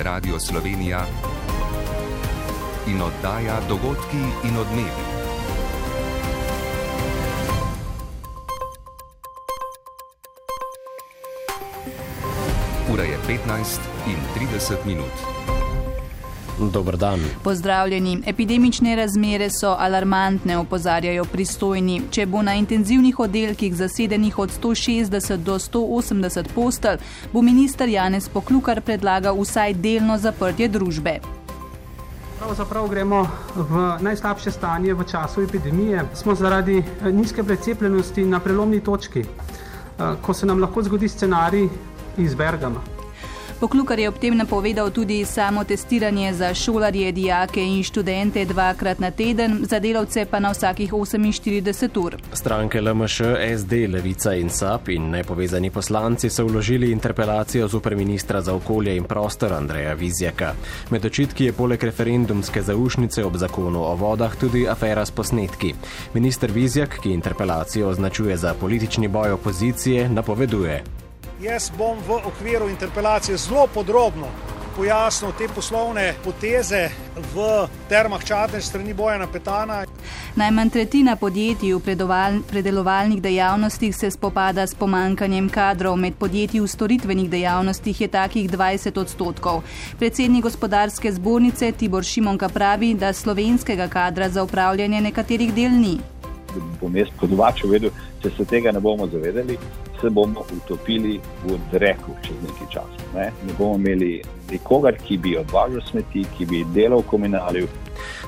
Radio Slovenija in oddaja Dogodki in odmevi. Ura je 15:30. Dober dan. Pozdravljeni. Epidemične razmere so alarmantne, opozarjajo pristojni. Če bo na intenzivnih oddelkih zasedenih od 160 do 180 postelj, bo minister Janez Poklukar predlagal vsaj delno zaprtje družbe. Pravzaprav gremo v najslabše stanje v času epidemije. Smo zaradi nizke precepljenosti na prelomni točki, ko se nam lahko zgodi scenarij iz Bergama. Poklukar je ob tem napovedal tudi samo testiranje za šolarje, dijake in študente 2-krat na teden, za delavce pa na vsakih 48 ur. Stranke LMŠ, SD, Levica in SAB in nepovezani poslanci so vložili interpelacijo zoper ministra za okolje in prostor Andreja Vizjaka. Med očitki je poleg referendumske zaušnice ob zakonu o vodah tudi afera s posnetki. Minister Vizjak, ki interpelacijo označuje za politični boj opozicije, napoveduje: Jaz bom v okviru interpelacije zelo podrobno pojasnil te poslovne poteze v Termah Čatež strani Bojana Petana. Najmanj tretjina podjetij v predelovalnih dejavnostih se spopada s pomanjkanjem kadrov. Med podjetji v storitvenih dejavnostih je takih 20%. Predsednik gospodarske zbornice Tibor Šimonka pravi, da slovenskega kadra za upravljanje nekaterih del ni. Bom jaz kot domačo vedel, če se tega ne bomo zavedali, se bomo utopili v dreku čez nekaj časa. Ne bomo imeli nikogar, ki bi odvažal smeti, ki bi delal v komunaliju.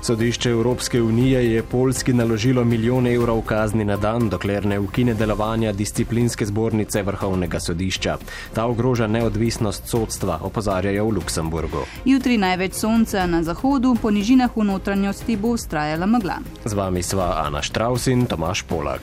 Sodišče Evropske unije je Poljski naložilo €1 milijon kazni na dan, dokler ne ukine delovanja disciplinske zbornice Vrhovnega sodišča. Ta ogroža neodvisnost sodstva, opozarjajo v Luksemburgu. Jutri največ sonca na zahodu, po nižinah v notranjosti bo vztrajala megla. Z vami sva Ana Štravs in Tomaž Polak.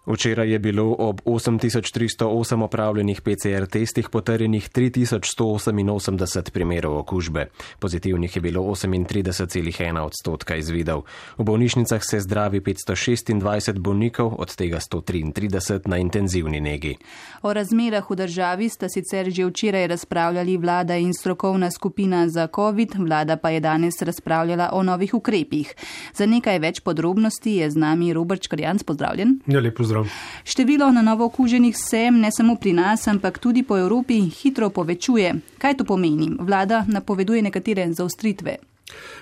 Včeraj je bilo ob 8308 opravljenih PCR testih potrjenih 3188 primerov okužbe. Pozitivnih je bilo 38,1% izvidov. V bolnišnicah se zdravi 526 bolnikov, od tega 133 na intenzivni negi. O razmerah v državi sta sicer že včeraj razpravljali vlada in strokovna skupina za COVID, vlada pa je danes razpravljala o novih ukrepih. Za nekaj več podrobnosti je z nami Robert Škarjanc. Pozdravljen. Ja, lep pozdrav. Število na novo okuženih se ne samo pri nas, ampak tudi po Evropi hitro povečuje. Kaj to pomeni? Vlada napoveduje nekatere zaostritve.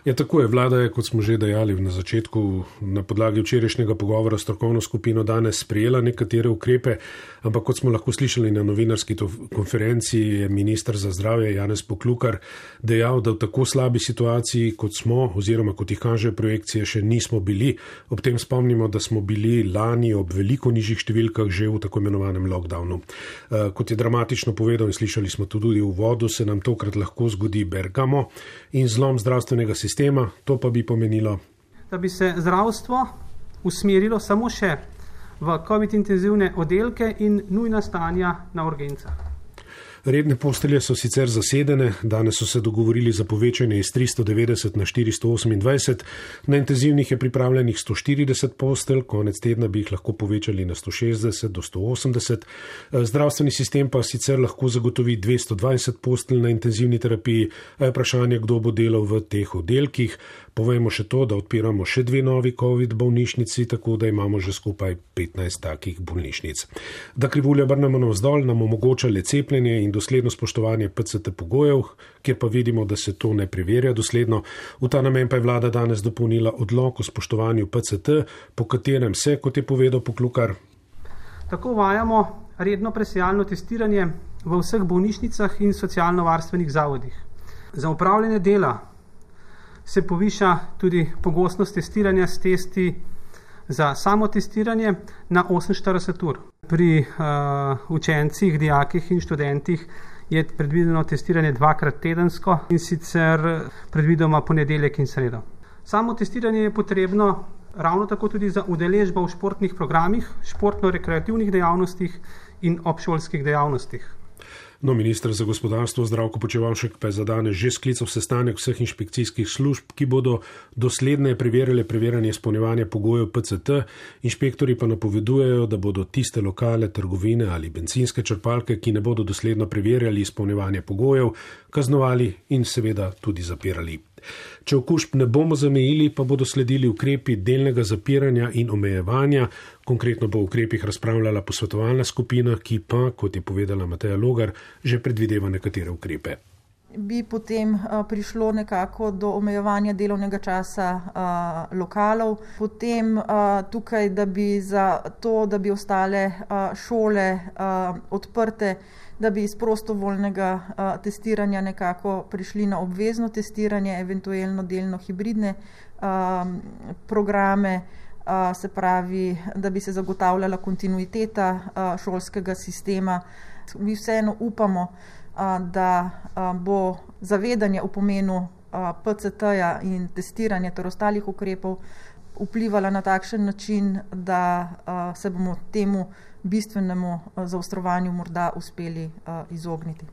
Ja, tako je. Vlada je, kot smo že dejali na začetku, na podlagi včerajšnjega pogovora s strokovno skupino danes sprejela nekatere ukrepe, ampak kot smo lahko slišali na novinarski konferenci, je minister za zdravje Janez Poklukar dejal, da v tako slabi situaciji, kot smo, oziroma kot jih kaže projekcije, še nismo bili. Ob tem spomnimo, da smo bili lani ob veliko nižjih številkah že v tako imenovanem lockdownu. Kot je dramatično povedal in slišali smo tudi v uvodu, se nam tokrat lahko zgodi Bergamo in zlom zdravstvenega sistema, to pa bi pomenilo, da bi se zdravstvo usmerilo samo še v COVID intenzivne oddelke in nujna stanja na urgencah. Redne postelje so sicer zasedene, danes so se dogovorili za povečanje iz 390 na 428, na intenzivnih je pripravljenih 140 postelj, konec tedna bi jih lahko povečali na 160 do 180. Zdravstveni sistem pa sicer lahko zagotovi 220 postelj na intenzivni terapiji, a je vprašanje, kdo bo delal v teh oddelkih. Povejmo še to, da odpiramo še 2 novi COVID bolnišnici, tako da imamo že skupaj 15 takih bolnišnic. Da krivuljo obrnemo navzdol, nam omogoča le cepljenje in dosledno spoštovanje PCT pogojev, kjer pa vidimo, da se to ne preverja dosledno. V ta namen pa je vlada danes dopolnila odlok o spoštovanju PCT, po katerem se, kot je povedal Poklukar, tako uvajamo redno presejalno testiranje v vseh bolnišnicah in socialno-varstvenih zavodih. Za upravljanje dela se poviša tudi pogostnost testiranja s testi za samotestiranje na 48 ur. Pri učencih, dijakih in študentih je predvideno testiranje 2-krat tedensko in sicer predvidoma ponedeljek in sredo. Samo testiranje je potrebno ravno tako tudi za udeležbo v športnih programih, športno-rekreativnih dejavnostih in obšolskih dejavnostih. No, minister za gospodarstvo Zdravko Počivalšek pa je za danes že sklical sestanek vseh inšpekcijskih služb, ki bodo dosledneje preverjale preverjanje izpolnjevanja pogojev PCT. Inšpektori pa napovedujejo, da bodo tiste lokale, trgovine ali bencinske črpalke, ki ne bodo dosledno preverjali izpolnjevanje pogojev, kaznovali in seveda tudi zapirali. Če okužb ne bomo zamejili, pa bodo sledili ukrepi delnega zapiranja in omejevanja. Konkretno bo o ukrepih razpravljala posvetovalna skupina, ki pa, kot je povedala Mateja Logar, že predvideva nekatere ukrepe. Bi potem prišlo nekako do omejevanja delovnega časa lokalov. Potem tukaj, da bi ostale šole odprte, da bi iz prostovoljnega testiranja nekako prišli na obvezno testiranje, eventualno delno hibridne programe, se pravi, da bi se zagotavljala kontinuiteta šolskega sistema. Mi vseeno upamo, da bo zavedanje o pomenu PCT-ja in testiranja ter ostalih ukrepov vplivala na takšen način, da se bomo temu bistvenemu zaostrovanju morda uspeli izogniti.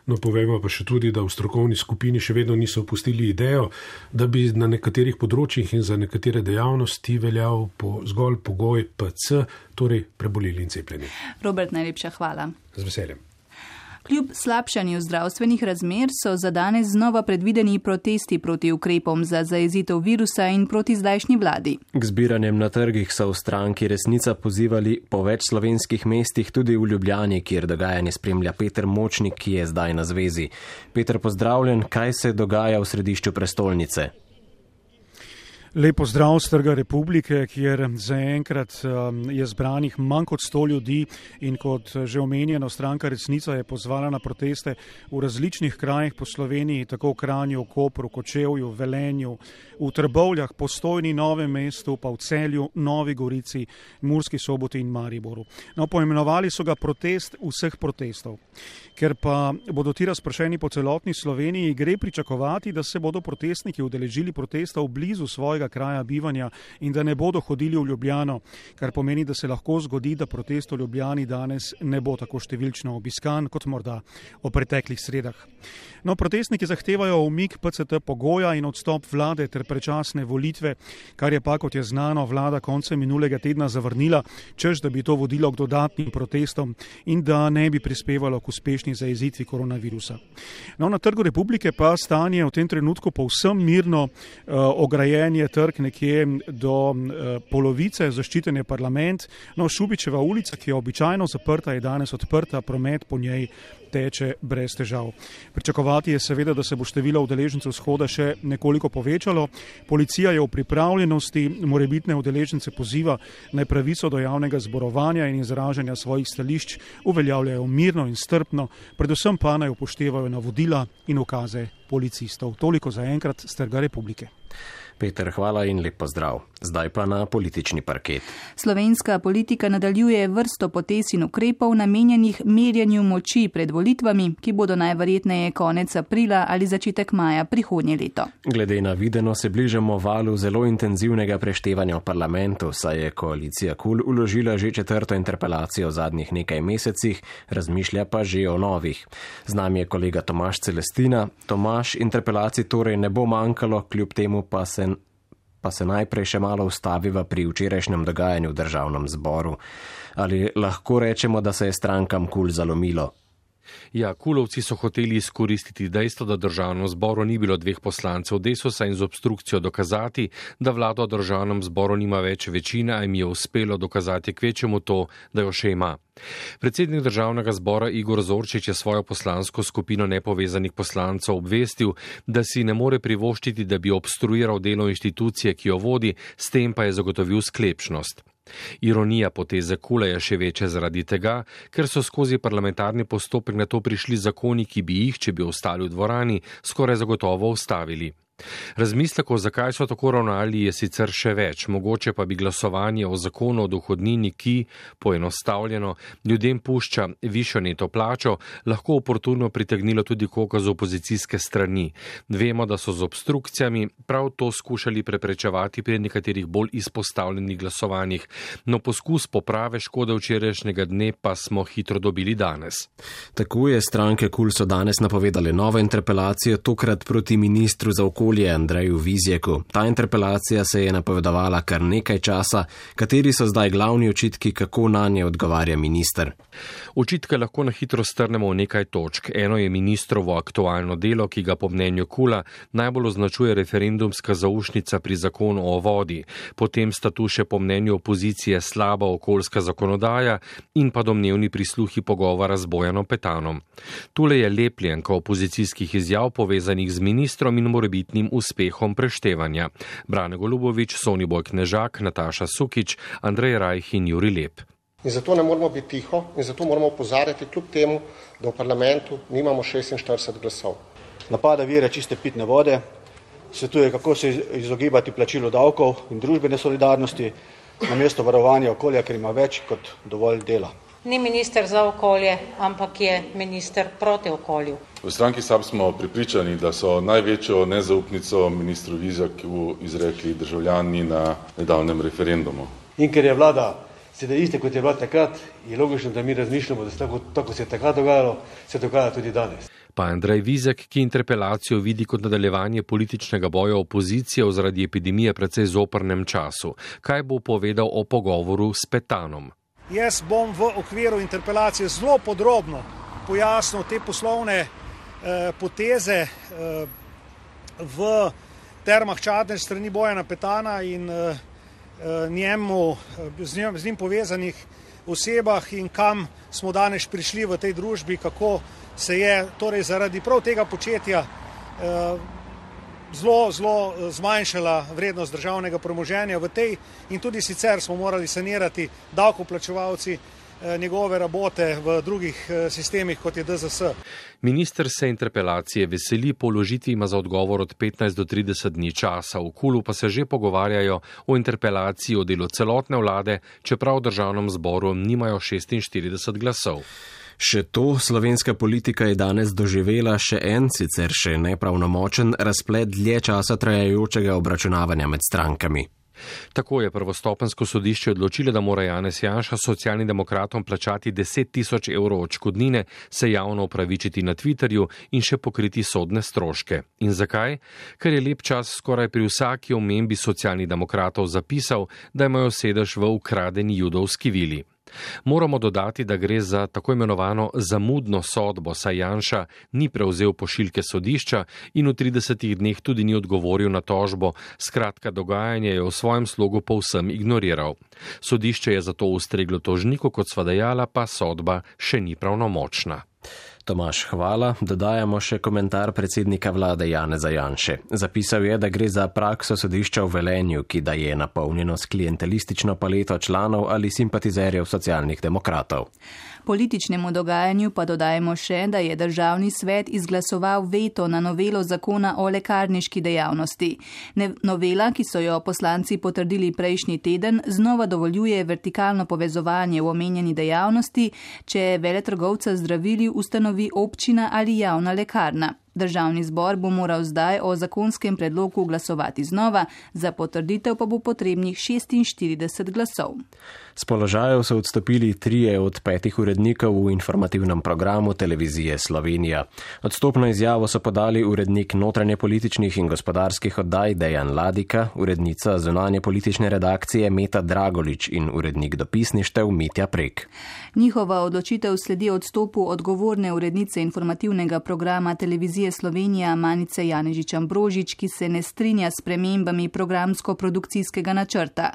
No, povemo pa še tudi, da v strokovni skupini še vedno niso opustili idejo, da bi na nekaterih področjih in za nekatere dejavnosti veljal zgolj pogoj PC, torej preboleli in cepljeni. Robert, najlepša hvala. Z veseljem. Kljub slabšanju zdravstvenih razmer so za danes znova predvideni protesti proti ukrepom za zajezitev virusa in proti zdajšnji vladi. K zbiranjem na trgih so v stranki Resnica pozivali po več slovenskih mestih, tudi v Ljubljani, kjer dogajanje spremlja Peter Močnik, ki je zdaj na zvezi. Peter, pozdravljen, kaj se dogaja v središču prestolnice? Lepo zdrav z Trga Republike, kjer zaenkrat je zbranih manj kot 100 ljudi in kot že omenjeno, stranka Resnica je pozvala na proteste v različnih krajih po Sloveniji, tako v Kranju, Kopru, Kočevju, Velenju, v Trbovljah, Postojni, Novem mestu, pa v Celju, Novi Gorici, Murski Soboti in Mariboru. No, poimenovali so ga protest vseh protestov. Ker pa bodo ti razpršeni po celotni Sloveniji, gre pričakovati, da se bodo protestniki udeležili protestov blizu svojega kraja bivanja in da ne bodo hodili v Ljubljano, kar pomeni, da se lahko zgodi, da protest v Ljubljani danes ne bo tako številčno obiskan kot morda v preteklih sredah. No, protestniki zahtevajo umik PCT pogoja in odstop vlade ter predčasne volitve, kar je pa, kot je znano, vlada koncem minulega tedna zavrnila, češ da bi to vodilo k dodatnim protestom in da ne bi prispevalo k uspešni zajezitvi koronavirusa. No, na Trgu Republike pa stanje v tem trenutku povsem mirno, ograjen je trg nekje do polovice, zaščiten je parlament. No, Šubičeva ulica, ki je običajno zaprta, je danes odprta, promet po njej teče brez težav. Pričakovati je seveda, da se bo število udeležencev shoda še nekoliko povečalo. Policija je v pripravljenosti, morebitne udeležence poziva, naj pravico do javnega zborovanja in izražanja svojih stališč uveljavljajo mirno in strpno, predvsem pa naj upoštevajo navodila in ukaze policistov. Toliko zaenkrat z Trga Republike. Peter, hvala in lep pozdrav. Zdaj pa na politični parket. Slovenska politika nadaljuje vrsto potez in ukrepov namenjenih merjenju moči pred volitvami, ki bodo najverjetneje konec aprila ali začetek maja prihodnje leto. Glede na videno se bližamo valu zelo intenzivnega preštevanja v parlamentu, saj je koalicija KUL vložila že 4. interpelacijo v zadnjih nekaj mesecih, razmišlja pa že o novih. Z nami je kolega Tomaž Celestina. Tomaž, interpelacij torej ne bo manjkalo, kljub temu pa se najprej še malo ustaviva pri včerajšnjem dogajanju v državnem zboru. Ali lahko rečemo, da se je strankam KUL zalomilo? Ja, kulovci so hoteli izkoristiti dejstvo, da državnem zboru ni bilo 2 poslancev Desusa in z obstrukcijo dokazati, da vlada v državnem zboru nima več večine, a jim je uspelo dokazati kvečemu to, da jo še ima. Predsednik državnega zbora Igor Zorčič je svojo poslansko skupino nepovezanih poslancev obvestil, da si ne more privoščiti, da bi obstruiral delo inštitucije, ki jo vodi, s tem pa je zagotovil sklepčnost. Ironija poteze KUL je še večja zaradi tega, ker so skozi parlamentarni postopek na to prišli zakoni, ki bi jih, če bi ostali v dvorani, skoraj zagotovo ustavili. Razmislekov, zakaj so tako ravnali, je sicer še več. Mogoče pa bi glasovanje o zakonu o dohodnini, ki, poenostavljeno, ljudem pušča višjo neto plačo, lahko oportuno pritegnilo tudi koga z opozicijske strani. Vemo, da so z obstrukcijami prav to skušali preprečevati pri nekaterih bolj izpostavljenih glasovanjih, no poskus poprave škode včerajšnjega dne pa smo hitro dobili danes. Tako je stranke KUL so danes napovedali novo interpelacijo, tokrat proti ministru za okolje Andreju Vizjaku. Ta interpelacija se je napovedovala kar nekaj časa. Kateri so zdaj glavni očitki, kako nanje odgovarja minister? Očitke lahko na hitro strnemo v nekaj točk. Eno je ministrovo aktualno delo, ki ga po mnenju KUL-a najbolj označuje referendumska zaušnica pri zakonu o vodi. Potem sta tu še po mnenju opozicije slaba okoljska zakonodaja in pa domnevni prisluhi pogovora z Bojanom Petanom. Tule je lepljenka opozicijskih izjav povezanih z ministrom in morebitnim uspehom preštevanja. Brane Golubović, Soniboj Knežak, Nataša Sukič, Andrej Rajh in Jurij Lep. In zato ne moramo biti tiho in zato moramo opozarjati kljub temu, da v parlamentu nimamo 46 glasov. Napada vire čiste pitne vode, svetuje, kako se izogibati plačilu davkov in družbene solidarnosti, namesto varovanja okolja, ker ima več kot dovolj dela. Ni minister za okolje, ampak je minister proti okolju. V stranki SAB smo prepričani, da so največjo nezaupnico ministru Vizjaku izrekli državljani na nedavnem referendumu. In ker je vlada sedaj iste, kot je bila takrat, je logično, da mi razmišljamo, da se tako se je takrat dogajalo, se dogaja tudi danes. Pa Andrej Vizjak, ki interpelacijo vidi kot nadaljevanje političnega boja opozicije v zaradi epidemije precej zoprnem času. Kaj bo povedal o pogovoru s Petanom? Jaz bom v okviru interpelacije zelo podrobno pojasnil te poslovne poteze v Termah Čatež strani Bojana Petana in z njim povezanih osebah in kam smo danes prišli v tej družbi, kako se je torej zaradi prav tega početja zelo zmanjšala vrednost državnega premoženja v tej in tudi sicer smo morali sanirati davkoplačevalci njegove rabote v drugih sistemih, kot je DZS. Minister se interpelacije veseli, po vložitvi ima za odgovor od 15 do 30 dni časa. V KUL-u pa se že pogovarjajo o interpelaciji o delu celotne vlade, čeprav v državnem zboru nimajo 46 glasov. Še to, slovenska politika je danes doživela še en, sicer še nepravnomočen razplet dlje časa trajajočega obračunavanja med strankami. Tako je prvostopensko sodišče odločilo, da mora Janez Janša socialnim demokratom plačati 10 000 evrov odškodnine, se javno opravičiti na Twitterju in še pokriti sodne stroške. In zakaj? Ker je Lep čas skoraj pri vsaki omembi socialnih demokratov zapisal, da imajo sedež v ukradeni judovski vili. Moramo dodati, da gre za tako imenovano zamudno sodbo, saj Janša ni prevzel pošiljke sodišča in v 30 dneh tudi ni odgovoril na tožbo. Skratka, dogajanje je v svojem slogu povsem ignoriral. Sodišče je zato ustreglo tožniku, kot sva dejala, pa sodba še ni pravnomočna. Tomaž, hvala. Dodajamo še komentar predsednika vlade Janeza Janše. Zapisal je, da gre za prakso sodišča v Velenju, ki da je napolnjeno s klientelistično paleto članov ali simpatizerjev socialnih demokratov. Političnemu dogajanju pa dodajemo še, da je državni svet izglasoval veto na novelo zakona o lekarniški dejavnosti. Novela, ki so jo poslanci potrdili prejšnji teden, znova dovoljuje vertikalno povezovanje v omenjeni dejavnosti, če veletrgovca zdravili ustanovi občina ali javna lekarna. Državni zbor bo moral zdaj o zakonskem predlogu glasovati znova, za potrditev pa bo potrebnih 46 glasov. S položajev so odstopili 3 od 5 urednikov v informativnem programu Televizije Slovenija. Odstopno izjavo so podali urednik notranje političnih in gospodarskih oddaj Dejan Ladika, urednica zunanje politične redakcije Meta Dragolič in urednik dopisništev Mitja Prek. Njihova odločitev sledi odstopu odgovorne urednice informativnega programa Televizije Slovenija Manice Janežič-Ambrožič, ki se ne strinja s spremembami programsko-produkcijskega načrta.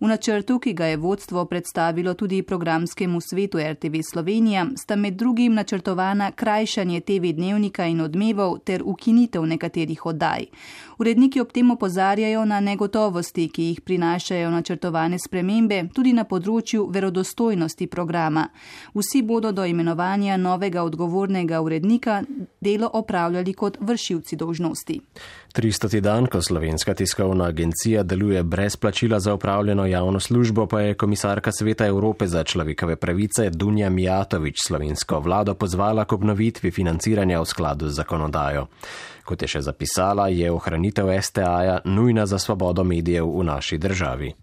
V načrtu, ki ga je vodstvo predstavilo tudi programskemu svetu RTV Slovenija, sta med drugim načrtovana krajšanje TV dnevnika in odmevov ter ukinitev nekaterih oddaj. Uredniki ob tem opozarjajo na negotovosti, ki jih prinašajo načrtovane spremembe, tudi na področju verodostojnosti programa. Vsi bodo do imenovanja novega odgovornega urednika delo opravljali upravljali kot vršilci dolžnosti. 300. dan, ko Slovenska tiskovna agencija deluje brez plačila za opravljeno javno službo, pa je komisarka Sveta Evrope za človekove pravice Dunja Mijatović slovensko vlado pozvala k obnovitvi financiranja v skladu z zakonodajo. Kot je še zapisala, je ohranitev STA-ja nujna za svobodo medijev v naši državi.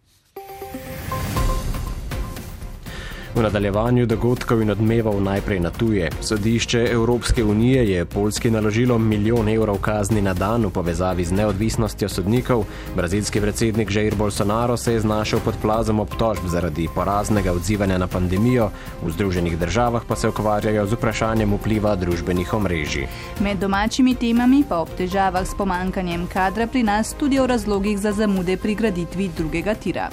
V nadaljevanju dogodkov in odmevov najprej na tuje. Sodišče Evropske unije je Poljski naložilo 1 milijon evrov kazni na dan v povezavi z neodvisnostjo sodnikov. Brazilski predsednik Jair Bolsonaro se je znašel pod plazom obtožb zaradi poraznega odzivanja na pandemijo. V Združenih državah pa se ukvarjajo z vprašanjem vpliva družbenih omrežij. Med domačimi temami pa ob težavah s pomankanjem kadra pri nas tudi o razlogih za zamude pri graditvi drugega tira.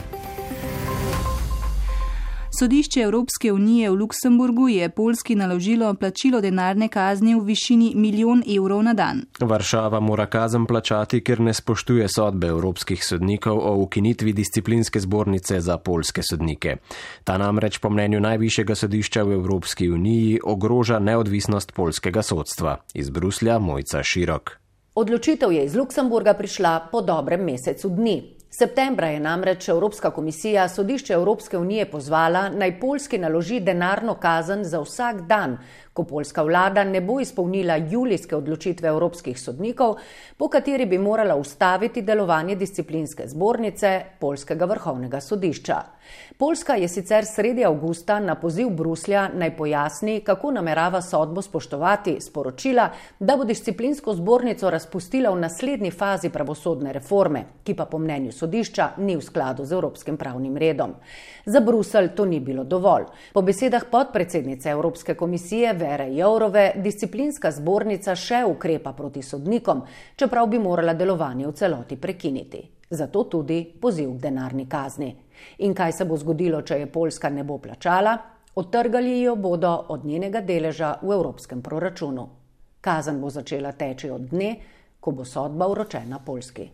Sodišče Evropske unije v Luksemburgu je Poljski naložilo plačilo denarne kazni v višini 1 milijon evrov na dan. Varšava mora kazen plačati, ker ne spoštuje sodbe evropskih sodnikov o ukinitvi disciplinske zbornice za poljske sodnike. Ta namreč po mnenju najvišjega sodišča v Evropski uniji ogroža neodvisnost poljskega sodstva. Iz Bruslja Mojca Širok. Odločitev je iz Luksemburga prišla po dobrem mesecu dni. Septembra je namreč Evropska komisija sodišče Evropske unije pozvala, naj Poljski naloži denarno kazen za vsak dan, ko poljska vlada ne bo izpolnila julijske odločitve evropskih sodnikov, po kateri bi morala ustaviti delovanje disciplinske zbornice Poljskega vrhovnega sodišča. Poljska je sicer sredi avgusta na poziv Bruslja naj pojasni, kako namerava sodbo spoštovati, sporočila, da bo disciplinsko zbornico razpustila v naslednji fazi pravosodne reforme, ki pa po mnenju sodišča ni v skladu z evropskim pravnim redom. Za Bruselj to ni bilo dovolj. Po besedah podpredsednice Evropske komisije Vere Jourove, disciplinska zbornica še ukrepa proti sodnikom, čeprav bi morala delovanje v celoti prekiniti. Zato tudi poziv k denarni kazni. In kaj se bo zgodilo, če je Poljska ne bo plačala? Odtrgali jo bodo od njenega deleža v evropskem proračunu. Kazen bo začela teči od dne, ko bo sodba vročena Poljski.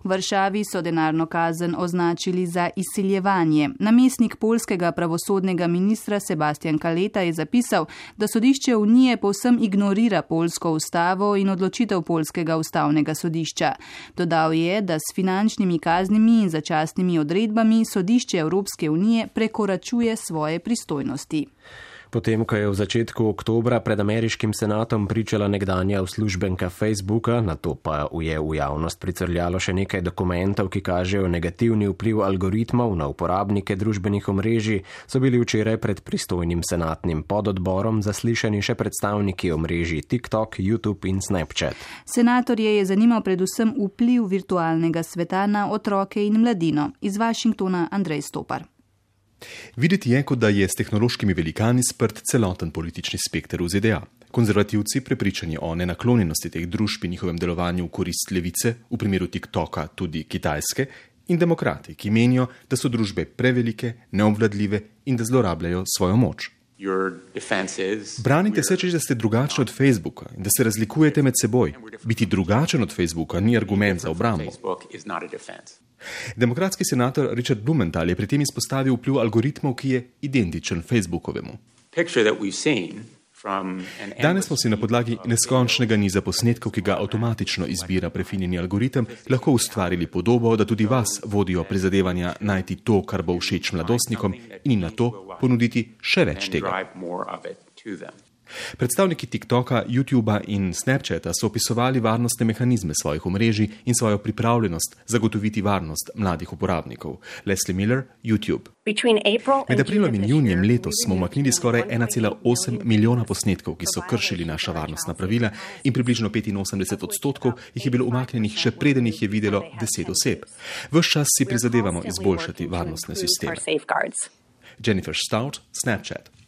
V Varšavi so denarno kazen označili za izsiljevanje. Namestnik poljskega pravosodnega ministra Sebastian Kaleta je zapisal, da sodišče Unije povsem ignorira poljsko ustavo in odločitev poljskega ustavnega sodišča. Dodal je, da s finančnimi kaznimi in začasnimi odredbami sodišče Evropske unije prekoračuje svoje pristojnosti. Potem, ko je v začetku oktobra pred ameriškim senatom pričala nekdanja uslužbenka Facebooka, nato pa je v javnost pricrljalo še nekaj dokumentov, ki kažejo negativni vpliv algoritmov na uporabnike družbenih omrežij, so bili včeraj pred pristojnim senatnim pododborom zaslišani še predstavniki omrežij TikTok, YouTube in Snapchat. Senatorje je zanimal predvsem vpliv virtualnega sveta na otroke in mladino. Iz Washingtona Andrej Stopar. Videti je, kot da je s tehnološkimi velikani sprt celoten politični spekter v ZDA. Konzervativci, prepričani o nenaklonjenosti teh družb in njihovem delovanju v korist levice, v primeru TikToka tudi Kitajske, in demokrati, ki menijo, da so družbe prevelike, neobvladljive in da zlorabljajo svojo moč. Branite se, če ste drugačni od Facebooka in da se razlikujete med seboj. Biti drugačen od Facebooka ni argument za obrambo. Demokratski senator Richard Blumenthal je pri tem izpostavil vpliv algoritmov, ki je identičen Facebookovemu. Danes smo si na podlagi neskončnega niza posnetkov, ki ga avtomatično izbira prefinjeni algoritem, lahko ustvarili podobo, da tudi vas vodijo prizadevanja najti to, kar bo všeč mladostnikom in na to ponuditi še več tega. Predstavniki TikToka, YouTubea in Snapchata so opisovali varnostne mehanizme svojih omrežij in svojo pripravljenost zagotoviti varnost mladih uporabnikov. Leslie Miller, YouTube. Med aprilom in junijem letos smo umaknili skoraj 1,8 milijona posnetkov, ki so kršili naša varnostna pravila in približno 85% jih je bilo umaknjenih še preden jih je videlo 10 oseb. Ves čas si prizadevamo izboljšati varnostne sisteme. Jennifer Stout, Snapchat.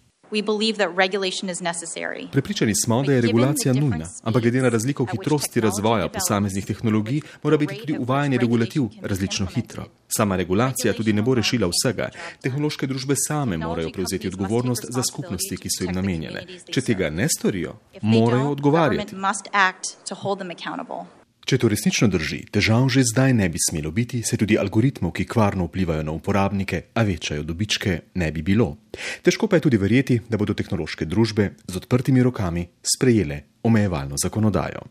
Prepričani smo, da je regulacija nujna, ampak glede na razliko v hitrosti razvoja posameznih tehnologij mora biti tudi uvajanje regulativ različno hitro. Sama regulacija tudi ne bo rešila vsega. Tehnološke družbe same morajo prevzeti odgovornost za skupnosti, ki so jim namenjene. Če tega ne storijo, morajo odgovarjati. Če to resnično drži, težav že zdaj ne bi smelo biti, se tudi algoritmov, ki kvarno vplivajo na uporabnike, a večajo dobičke, ne bi bilo. Težko pa je tudi verjeti, da bodo tehnološke družbe z odprtimi rokami sprejele omejevalno zakonodajo.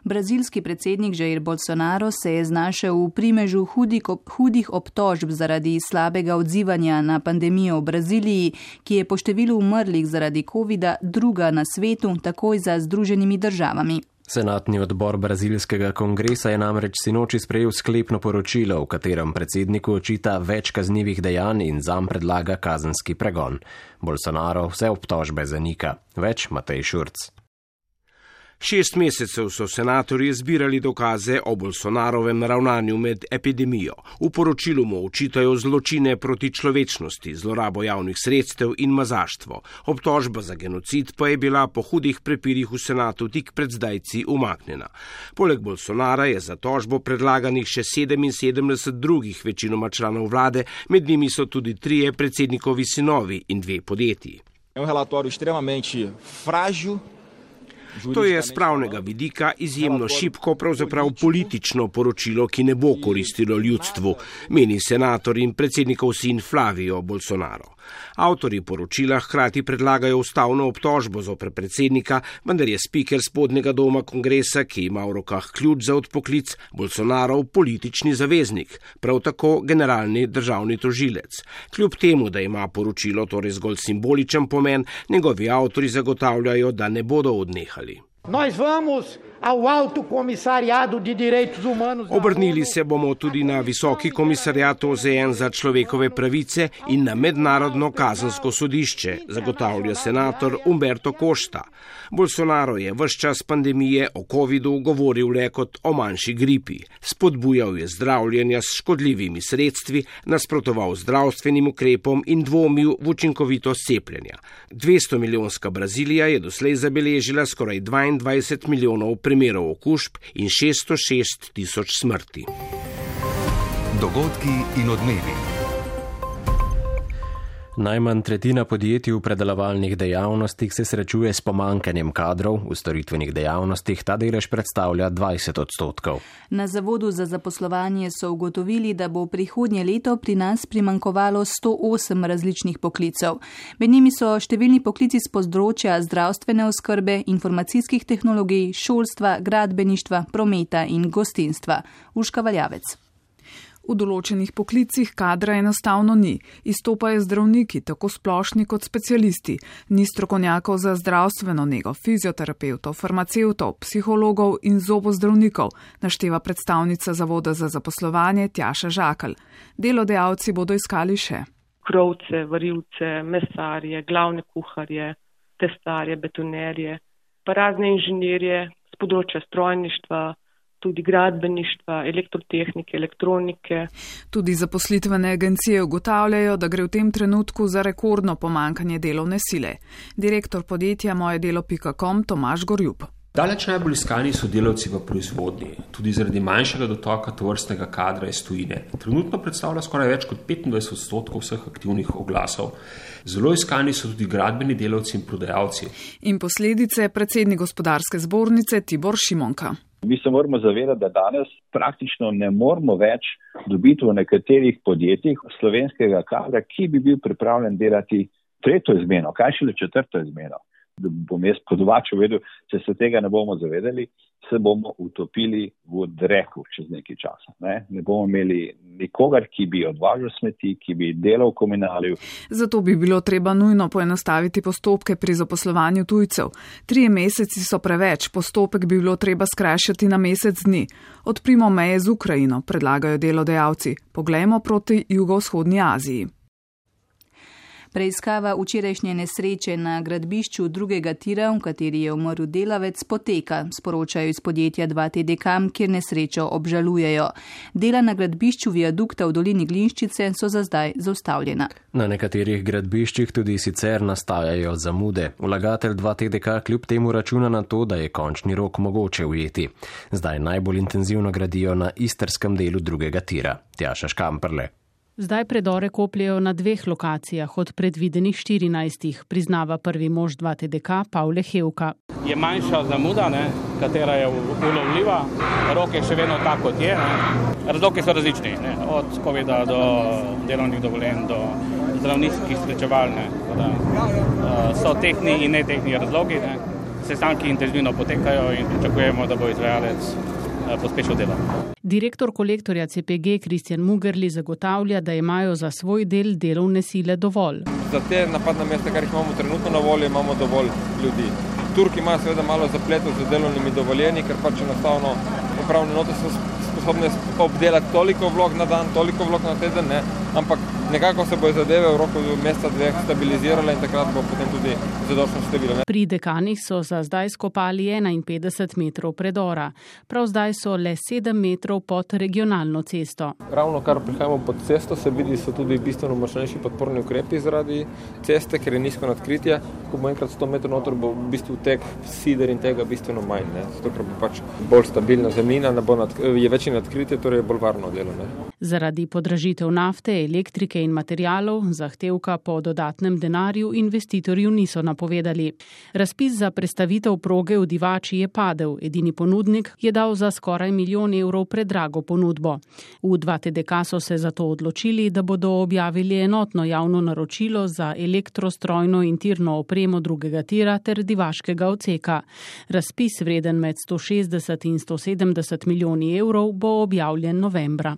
Brazilski predsednik Jair Bolsonaro se je znašel v primežu hudih obtožb zaradi slabega odzivanja na pandemijo v Braziliji, ki je po številu umrlih zaradi covida druga na svetu, takoj za Združenimi državami. Senatni odbor brazilskega kongresa je namreč sinoči sprejel sklepno poročilo, v katerem predsedniku očita več kaznivih dejanj in zanj predlaga kazenski pregon. Bolsonaro vse obtožbe zanika. Več Matej Šurc. 6 mesecev so senatorji zbirali dokaze o Bolsonarovem ravnanju med epidemijo. V poročilu mu očitajo zločine proti človečnosti, zlorabo javnih sredstev in mazaštvo. Obtožba za genocid pa je bila po hudih prepirih v senatu tik pred zdajci umaknjena. Poleg Bolsonara je za tožbo predlaganih še 77 drugih večinoma članov vlade, med njimi so tudi 3 predsednikovi sinovi in 2 podjetji. Je relatório extremamente frágil. To je z pravnega vidika izjemno šibko, pravzaprav politično poročilo, ki ne bo koristilo ljudstvu, meni senator in predsednikov sin Flavio Bolsonaro. Avtorji poročila hkrati predlagajo ustavno obtožbo zoper predsednika, vendar je spiker spodnjega doma kongresa, ki ima v rokah ključ za odpoklic, Bolsonarov politični zaveznik, prav tako generalni državni tožilec. Kljub temu, da ima poročilo torej zgolj simboličen pomen, njegovi avtorji zagotavljajo, da ne bodo odnehali. Obrnili se bomo tudi na Visoki komisariat OZN za človekove pravice in na Mednarodno kazensko sodišče, zagotavlja senator Humberto Costa. Bolsonaro je ves čas pandemije o covidu govoril le kot o manjši gripi. Spodbujal je zdravljenja s škodljivimi sredstvi, nasprotoval zdravstvenim ukrepom in dvomil v učinkovitost cepljenja. 200-milijonska Brazilija je doslej zabeležila skoraj 22 milijonov primerov okužb in 606 tisoč smrti. Dogodki in odmevi. Najmanj tretjina podjetij v predelovalnih dejavnostih se srečuje s pomanjkanjem kadrov, v storitvenih dejavnostih ta delež predstavlja 20%. Na Zavodu za zaposlovanje so ugotovili, da bo prihodnje leto pri nas primanjkovalo 108 različnih poklicev. Med njimi so številni poklici z področja zdravstvene oskrbe, informacijskih tehnologij, šolstva, gradbeništva, prometa in gostinstva. Urška Valjavec. V določenih poklicih kadra enostavno ni. Izstopajo zdravniki, tako splošni kot specialisti. Ni strokovnjakov za zdravstveno nego, fizioterapevtov, farmacevtov, psihologov in zobozdravnikov, našteva predstavnica Zavoda za zaposlovanje Tjaša Žakelj. Delodajalci bodo iskali še krovce, varilce, mesarje, glavne kuharje, testarje, betonerje, pa razne inženirje z področja strojništva, tudi gradbeništva, elektrotehnike, elektronike. Tudi zaposlitvene agencije ugotavljajo, da gre v tem trenutku za rekordno pomanjkanje delovne sile. Direktor podjetja mojedelo.com Tomaž Gorjub. Daleč najbolj iskani so delavci v proizvodnji, tudi zaradi manjšega dotoka tovrstnega kadra iz tujine. Trenutno predstavlja skoraj več kot 25% vseh aktivnih oglasov. Zelo iskani so tudi gradbeni delavci in prodajalci. In posledice predsednik gospodarske zbornice Tibor Šimonka. Mi se moramo zavedati, da danes praktično ne moramo več dobiti v nekaterih podjetjih slovenskega kadra, ki bi bil pripravljen delati 3. izmeno, kaj šele 4. izmeno. Da bom jaz po domače vedel, če se tega ne bomo zavedali, se bomo utopili v dreku čez nekaj časa. Ne bomo imeli nikogar, ki bi odvažal smeti, ki bi delal v komunaliju. Zato bi bilo treba nujno poenostaviti postopke pri zaposlovanju tujcev. 3 meseci so preveč, postopek bi bilo treba skrajšati na mesec dni. Odprimo meje z Ukrajino, predlagajo delodajalci. Poglejmo proti jugovzhodni Aziji. Preiskava včerajšnje nesreče na gradbišču drugega tira, v kateri je umrl delavec, poteka, sporočajo iz podjetja 2TDK, kjer nesrečo obžalujejo. Dela na gradbišču viadukta v dolini Glinščice so za zdaj zaustavljena. Na nekaterih gradbiščih tudi sicer nastajajo zamude. Vlagatelj 2TDK kljub temu računa na to, da je končni rok mogoče ujeti. Zdaj najbolj intenzivno gradijo na istrskem delu drugega tira. Tjaša Škamperle. Zdaj predore kopljejo na 2 lokacijah od predvidenih 14, priznava prvi mož 2TDK Pavle Hevka. Je manjša zamuda, katera je ulovljiva, rok je še vedno tak, kot je. Razlogi so različni, od COVID-a do delovnih dovoljenj, do zdravniških srečeval. So tehni in netehni razlogi. Sestanki intenzivno potekajo in pričakujemo, da bo izvajalec pospešil delo. Direktor kolektorja CPG Kristjan Mugerli zagotavlja, da imajo za svoj del delovne sile dovolj. Za te napadna mesta, kar jih imamo trenutno na voljo, imamo dovolj ljudi. Turki imajo seveda malo zapletov z delovnimi dovoljenji, ker pač enostavno upravne enote so sposobne obdelati toliko vlog na dan, toliko vlog na teden, ampak nekako se bo zadeve v roku meseca 2 stabilizirale in takrat bo potem tudi zadostno število. Pri Dekanih so za zdaj skopali 51 metrov predora. Prav zdaj so le 7 metrov pod regionalno cesto. Ravno kar prihajamo pod cesto, se vidi, so tudi bistveno močnejši podporni ukrepi zaradi ceste, ker je nizko nadkritje. Ko bo enkrat 100 metrov noter, bo v bistvu tek sider in tega bistveno manj. Zato, ker bo pač bolj stabilna zemljina, je večje nadkritje, torej je bolj varno delo. Zaradi podražitev nafte, elektrike in materialov, zahtevka po dodatnem denarju investitorju niso napovedali. Razpis za prestavitev proge v Divači je padel. Edini ponudnik je dal za skoraj 1 milijon evrov predrago ponudbo. V 2TDK so se zato odločili, da bodo objavili enotno javno naročilo za elektrostrojno in tirno opremo drugega tira ter divaškega odseka. Razpis vreden med 160 in 170 milijoni evrov bo objavljen novembra.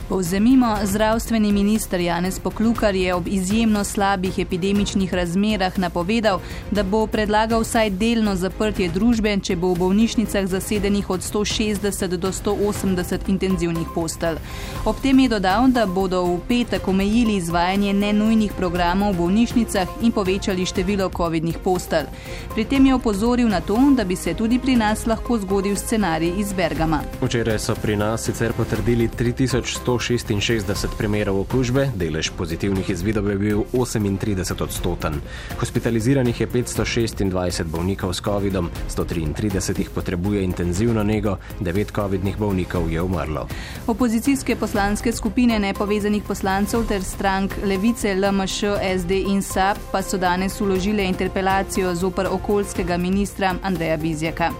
Povzemimo, zdravstveni minister Janez Poklukar je ob izjemno slabih epidemičnih razmerah napovedal, da bo predlagal vsaj delno zaprtje družbe, če bo v bolnišnicah zasedenih od 160 do 180 intenzivnih postelj. Ob tem je dodal, da bodo v petek omejili izvajanje nenujnih programov v bolnišnicah in povečali število covidnih postelj. Pri tem je opozoril na to, da bi se tudi pri nas lahko zgodil scenarij iz Bergama. Včeraj so pri nas sicer potrdili 3166 primerov okužbe, delež pozitivnih izvidov je bil 38%. Hospitaliziranih je 526 bolnikov s covidom, 133 jih potrebuje intenzivno nego, 9 covidnih bolnikov je umrlo. Opozicijske poslanske skupine nepovezanih poslancev ter strank Levice, LMŠ, SD in SAB pa so danes vložile interpelacijo zoper okoljskega ministra Andreja Vizjaka.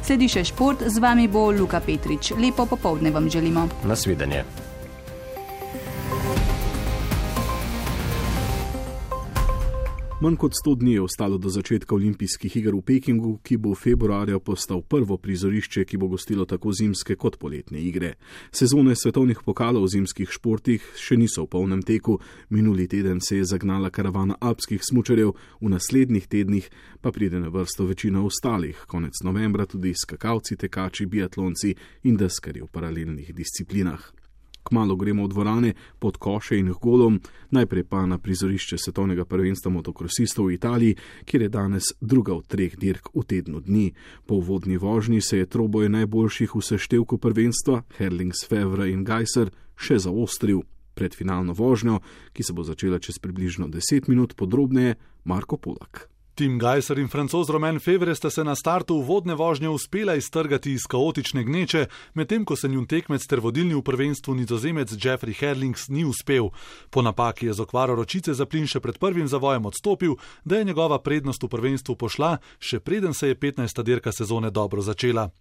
Sledi še šport, z vami bo Luka Petrič. Lepo popoldne vam želimo. Nasvidenje. Manj kot 100 dni je ostalo do začetka olimpijskih iger v Pekingu, ki bo februarja postal prvo prizorišče, ki bo gostilo tako zimske kot poletne igre. Sezone svetovnih pokalov v zimskih športih še niso v polnem teku. Minuli teden se je zagnala karavana alpskih smučarjev, v naslednjih tednih pa pride na vrsto večina ostalih. Konec novembra tudi skakalci, tekači, biatlonci in deskarji v paralelnih disciplinah. Kmalu gremo v dvorane pod koše in golom, najprej pa na prizorišče svetovnega prvenstva motokrosistov v Italiji, kjer je danes druga od 3 dirk v tednu dni. Po uvodni vožnji se je troboj najboljših v seštevku prvenstva, Herlings, Fevre in Gajser, še zaostril. Pred finalno vožnjo, ki se bo začela čez približno 10 minut, podrobneje Marko Polak. Tim Gajser in Francoz Romain Fevre sta se na startu uvodne vožnje uspela iztrgati iz kaotične gneče, medtem ko se njun tekmec ter vodilni v prvenstvu Nizozemec Jeffrey Herlings ni uspel. Po napaki je z okvaro ročice za plin še pred prvim zavojem odstopil, da je njegova prednost v prvenstvu pošla, še preden se je 15. dirka sezone dobro začela.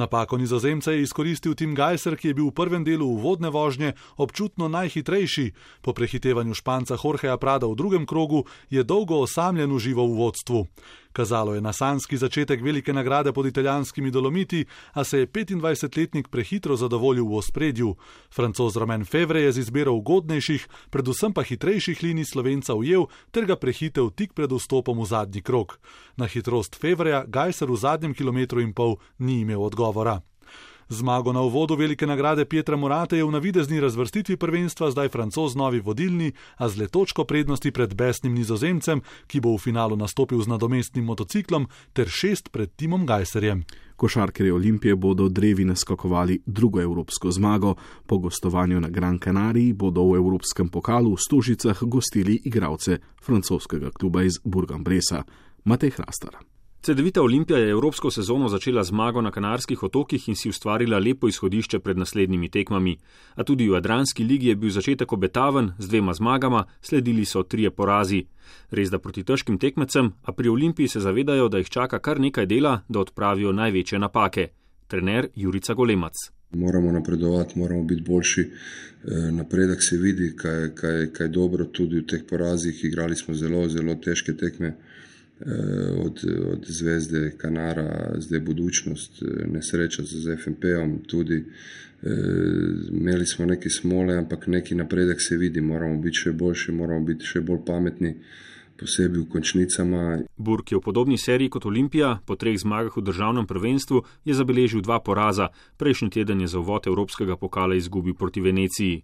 Napako Nizozemca je izkoristil Tim Gajser, ki je bil v prvem delu uvodne vožnje občutno najhitrejši. Po prehitevanju Španca Jorgeja Prada v drugem krogu je dolgo osamljen užival v vodstvu. Kazalo je na sanjski začetek velike nagrade pod italijanskimi Dolomiti, a se je 25-letnik prehitro zadovoljil v ospredju. Francoz Romain Fevre je z izbiro ugodnejših, predvsem pa hitrejših linij Slovenca ujel ter ga prehitev tik pred vstopom v zadnji krog. Na hitrost Fevreja Gajser v zadnjem kilometru in pol ni imel odgovora. Zmago na uvodu velike nagrade Pietra Morate je v navidezni razvrstitvi prvenstva zdaj Francoz novi vodilni, a z le točko prednosti pred besnim Nizozemcem, ki bo v finalu nastopil z nadomestnim motociklom, ter 6 pred Timom Gajserjem. Košarkarji Olimpije bodo drevi naskakovali drugo evropsko zmago. Po gostovanju na Gran Canariji bodo v evropskem pokalu v Stožicah gostili igralce francoskega kluba iz Bourg-en-Bressa. Matej Hrastar. Cedevita Olimpija je evropsko sezono začela zmago na Kanarskih otokih in si ustvarila lepo izhodišče pred naslednjimi tekmami. A tudi v Jadranski ligi je bil začetek obetaven z 2 zmagama, sledili so 3 porazi. Res da proti težkim tekmecem, a pri Olimpiji se zavedajo, da jih čaka kar nekaj dela, da odpravijo največje napake. Trener Jurica Golemac. Moramo napredovati, moramo biti boljši. Napredek se vidi, kaj dobro tudi v teh porazih. Igrali smo zelo, zelo težke tekme. Od Zvezde, Kanara, zdaj Budućnost, nesreča z FNP-om tudi. Imeli smo neki smole, ampak neki napredek se vidi. Moramo biti še boljši, moramo biti še bolj pametni, posebej v končnicama. Burg je v podobni seriji kot Olimpija, po 3 zmagah v državnem prvenstvu je zabeležil 2 poraza. Prejšnji teden je za uvod evropskega pokala izgubil proti Veneciji.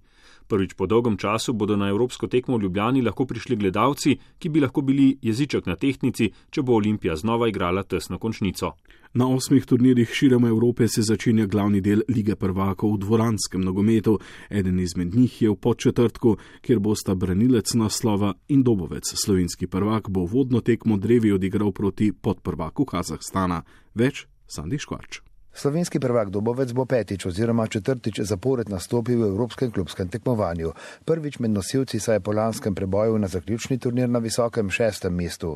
Prvič po dolgem času bodo na evropsko tekmo v Ljubljani lahko prišli gledalci, ki bi lahko bili jeziček na tehtnici, če bo Olimpija znova igrala tesno končnico. Na 8 turnirjih širom Evrope se začenja glavni del Lige prvakov v dvoranskem nogometu. Eden izmed njih je v Podčetrtku, kjer bosta branilec naslova in Dobovec. Slovenski prvak bo vodno tekmo drevi odigral proti podprvaku Kazahstana. Več Sandi Škvarč. Slovenski prvak Dobovec bo 5. oziroma 4. zapored nastopil v evropskem klubskem tekmovanju. Prvič med nosilci saj je po lanskem preboju na zaključni turnir na visokem 6. mestu.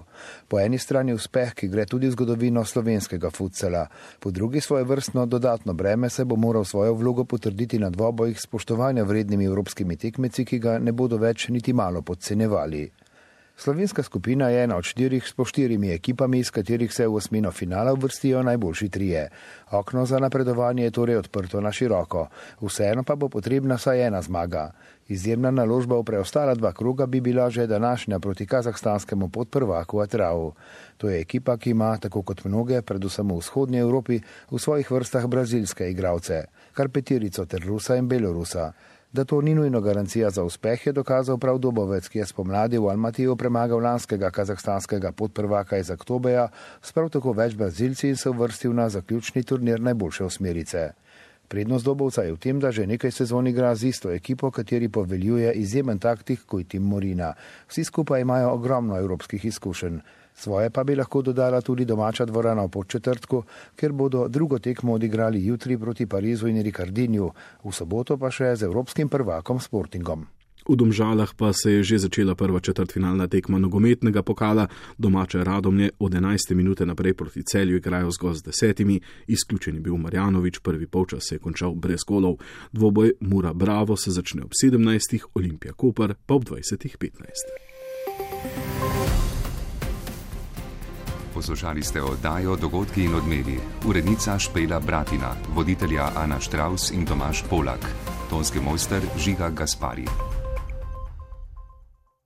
Po eni strani uspeh, ki gre tudi v zgodovino slovenskega futsala. Po drugi svojevrstno dodatno breme se bo moral svojo vlogo potrditi na dvobojih spoštovanja vrednimi evropskimi tekmeci, ki ga ne bodo več niti malo podcenjevali. Slovenska skupina je ena od 4 s po 4 ekipami, iz katerih se v osmino finala uvrstijo najboljši 3. Okno za napredovanje je torej odprto na široko. Vseeno pa bo potrebna saj 1 zmaga. Izjemna naložba v preostala 2 kroga bi bila že današnja proti kazahstanskemu podprvaku Atrau. To je ekipa, ki ima, tako kot mnoge, predvsem v vzhodnji Evropi, v svojih vrstah brazilske igralce, kar 5 ter Rusa in Belorusa. Da to ni nujno garancija za uspeh, je dokazal prav Dobovec, ki je spomladi v Almatiju premagal lanskega kazahstanskega podprvaka iz Aktobeja, s prav tako več Brazilci in se uvrstil na zaključni turnir najboljše osmerice. Prednost Dobovca je v tem, da že nekaj sezon igra z isto ekipo, kateri poveljuje izjemen taktik kot Tim Morina. Vsi skupaj imajo ogromno evropskih izkušenj. Svoje pa bi lahko dodala tudi domača dvorana v Podčetrtku, kjer bodo drugo tekmo odigrali jutri proti Parizu in Ricardinju, v soboto pa še z evropskim prvakom Sportingom. V Domžalah pa se je že začela prva četrtfinalna tekma nogometnega pokala. Domače Radomlje od 11. minute naprej proti Celju igrajo zgolj z 10. Izključen je bil Marjanović, prvi polčas se je končal brez golov. Dvoboj Mura Bravo se začne ob 17. Olimpija Koper pa ob 20.15. Poslušali ste oddajo Dogodki in odmevi. Urednica Špela Bratina, voditelja Ana Štravs in Tomaž Polak, tonski mojster Žiga Gaspari.